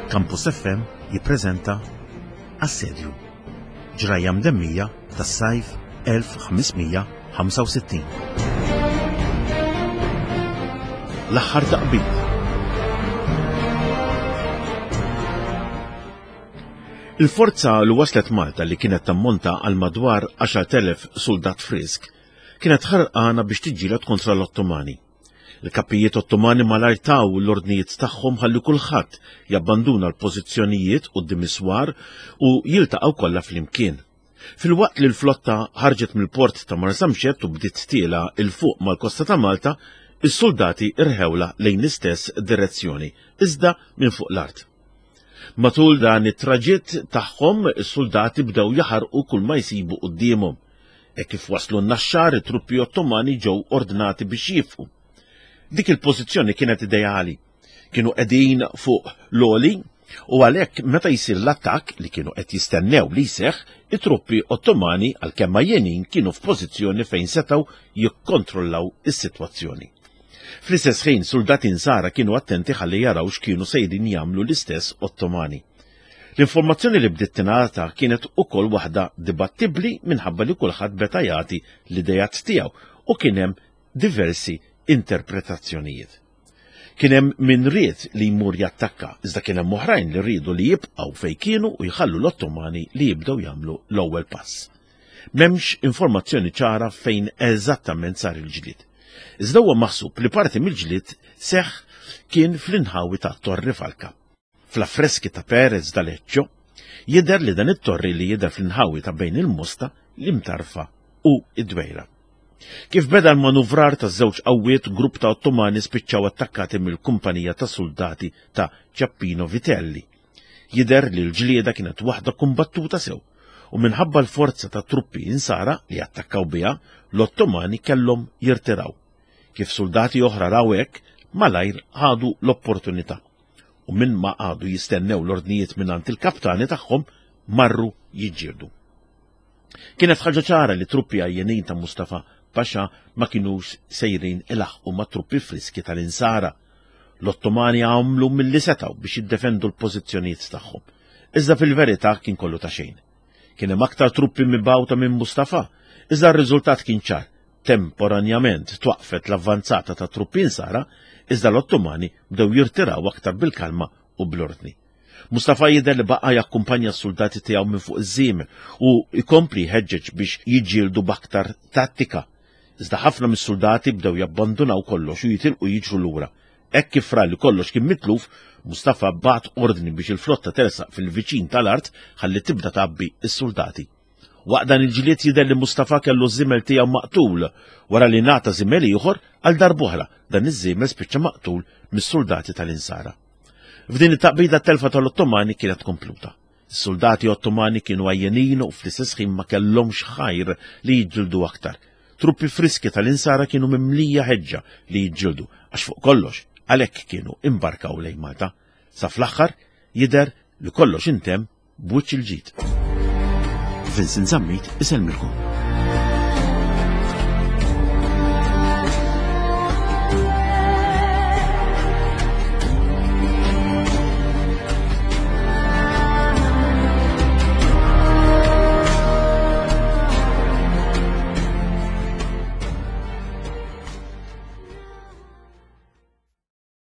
Campus FM jippreżenta Assedju. Ġrajja mdemmija tas-sajf 1565. L-aħħar taqbid. Il-forza li waslet Malta li kienet tammonta għal madwar 10,000 suldat frisk kienet ħarqana biex tiġġieled kontra l-Ottomani. Il-kapijiet Ottomani malajr taw l-ordnijiet tagħhom ħalli kulħadd jabbanduna l-pożizzjonijiet quddiem is-swar u jiltaqgħu kollha flimkien. Filwaqt li l-flotta ħarġet mill-port ta' Marsamxett u bdiet tiela 'l fuq mal-kosta ta' Malta, is-suldati rħewlha lejn l-istess direzzjoni, iżda minn fuq l-art. Matul dan it-traġitt tagħhom, is-suldati bdew jaħarqu kull ma jsibu quddiemhom. Hekk kif waslu n-Naxxar, it-truppi Ottomani ġew ordnati biex jieqfu. Dik il-pożizzjoni kienet ideali. Kienu qegħdin fuq l-għoli u għalhekk meta jsir l-attakk li kienu qed jistennew li jseħħ, it-truppi Ottomani għalkemm għajjenin kienu f'pożizzjoni fejn setgħu jikkontrollaw is-sitwazzjoni. Fl-istess ħin suldati Nsara kienu attenti ħalli jaraw x'kienu sejrin jagħmlu l-istess Ottomani. L-informazzjoni li bdiet tingħata kienet ukoll waħda dibattibbli minħabba li kulħadd beta jagħti l-ideat tiegħu u kien hemm diversi interpretazzjonijiet. Kien hemm min ried li jmur jattakka, iżda kien hemm oħrajn li riedu li jibqgħu fejn kienu u jħallu l-Ottomani li jibdew jagħmlu l-ewwel pass. M'hemmx informazzjoni ċara fejn eżattament sar il-ġlied. Iżda huwa maħsub li parti mill-ġlied seħħ kien fl-inħawi ta' Torri Falka. Fl-affreski ta' Perez d'Aleccio jidher li dan it-torri li jidher fl-inħawi ta' bejn il-Mosta, l-Imtarfa u id-Dwejra. Kif beda l-manuvrar ta' żewġ qawwiet, grupp ta' Ottomani spiċċaw attakkati mill-kumpanija ta' soldati ta' Ciappino Vitelli. Jidher li l-ġlieda kienet waħda kumbattuta sew u minħabba l-forza ta' truppi insara li attakkaw biha, l-Ottomani kellhom jirtiraw. Kif soldati oħra raw hekk, malajr ħadu l-opportunità u minn ma qagħdu jistennew l-ordnijiet mingħand il-kaptani tagħhom marru jiġġieldu. Kienet ħaġa ċara li truppi għajjenin ta' Mustafa Pasha ma kinux sejrin ilaħqu ma' truppi friski tal-insara. L-Ottomani għamlu milli setgħu biex jiddefendu l-pożizzjonijiet tagħhom. Iżda fil-verità kien kollu ta' xejn. Kien hemm aktar truppi mibgħuta minn Mustafa, iżda r-riżultat kien ċar. Temporanjament twaqfet l-avvanzata ta' truppi insara, iżda l-Ottomani bdew jirtiraw aktar bil-kalma u bl-ordni. Mustafa jidher li baqa' jakkumpanja s-suldati tiegħu minn fuq iż-żiemel u jkompli jħeġġeġ biex jiġġieldu b'aktar tattika. Iżda ħafna mis-suldati bdew jabbandunaw kollox u jitilqu jiġru lura. Hekk kif ra li kollox kien mitluf, Mustafa bagħat ordni biex il-flotta tersaq fil-viċin tal-art ħalli tibda tgħabbi s-suldati. Waqt dan il-ġlied jidher li Mustafa kellu ż-żiemel tiegħu maqtul wara li ngħata żiemel ieħor għal darb'oħra dan iż-żiemel spiċċa maqtul mis-suldati tal-Insara. F'din it-taqbida t-telfa tal-Ottomani kienet kompluta. Is-suldati Ottomani kienu għajjenin u fl-istess ħin ma kellhomx ħajr li jiġġieldu aktar. Truppi friski tal-Insara kienu mimlija ħeġġa li jiġġieldu għax fuq kollox għalhekk kienu imbarkaw lejn Malta. Sa fl-aħħar jidher li kollox intemm b'wiċċ il-ġid. Vincent Zammit isellmilkom.